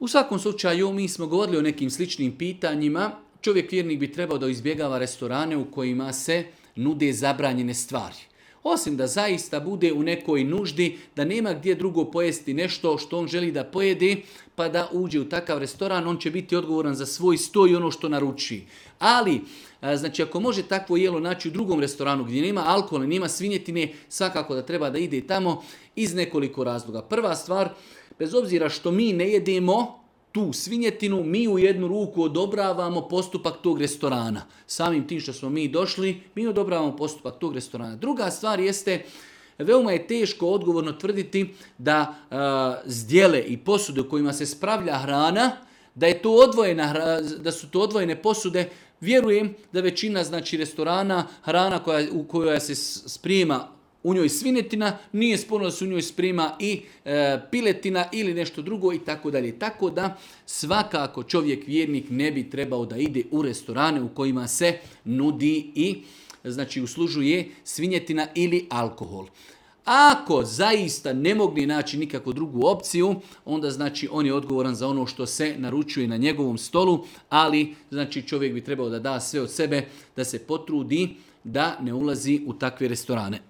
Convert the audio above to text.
U svakom slučaju, mi smo govorili o nekim sličnim pitanjima. Čovjek vjernik bi trebao da izbjegava restorane u kojima se nude zabranjene stvari. Osim da zaista bude u nekoj nuždi, da nema gdje drugo pojesti nešto što on želi da pojede, pa da uđe u takav restoran, on će biti odgovoran za svoj sto i ono što naruči. Ali, znači ako može takvo jelo naći u drugom restoranu gdje nema alkohola, nema svinjetine, svakako da treba da ide tamo iz nekoliko razloga. Prva stvar, bez obzira što mi ne jedemo tu svinjetinu, mi u jednu ruku odobravamo postupak tog restorana. Samim tim što smo mi došli, mi odobravamo postupak tog restorana. Druga stvar jeste, veoma je teško odgovorno tvrditi da zdjele i posude u kojima se spravlja hrana, da su to odvojene posude. Vjerujem da većina restorana, hrana u kojoj se sprema u njoj svinjetina, nije sporno da se u njoj sprema i piletina ili nešto drugo i tako dalje. Tako da svakako čovjek vjernik ne bi trebao da ide u restorane u kojima se nudi i uslužuje svinjetina ili alkohol. Ako zaista ne mogne naći nikakvu drugu opciju, onda on je odgovoran za ono što se naručuje na njegovom stolu, ali čovjek bi trebao da da sve od sebe, da se potrudi da ne ulazi u takve restorane.